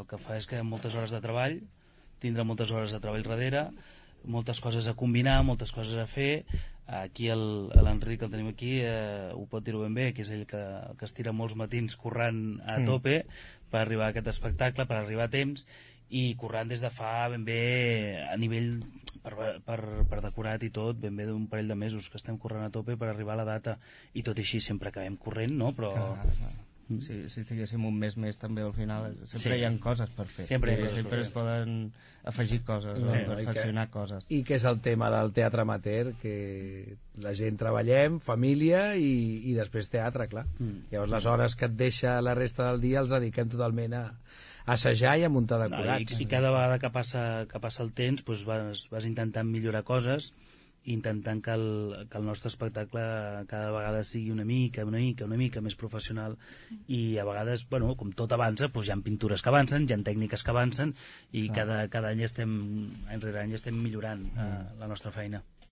que fa és que moltes hores de treball, tindrà moltes hores de treball darrere, moltes coses a combinar, moltes coses a fer. Aquí l'Enric, el tenim aquí, ho pot dir-ho ben bé, que és ell que es tira molts matins corrent a tope per arribar a aquest espectacle, per arribar a temps, i corrent des de fa ben bé a nivell per decorat i tot, ben bé d'un parell de mesos que estem corrent a tope per arribar a la data, i tot i així sempre acabem corrent, no? Però... Si tinguéssim un mes més també al final sempre hi ha coses per fer, sempre es poden afegir coses, perfeccionar coses. I que és el tema del teatre amateur, que la gent treballem, família i després teatre, clar. Llavors les hores que et deixa la resta del dia els dediquem totalment a assajar i a muntar decorats. I cada vegada que passa el temps doncs vas intentant millorar coses, intentant que el nostre espectacle cada vegada sigui una mica més professional, i a vegades, bueno, com tot avança, doncs hi ha pintures que avancen, hi ha tècniques que avancen, i cada any any rere any estem millorant la nostra feina.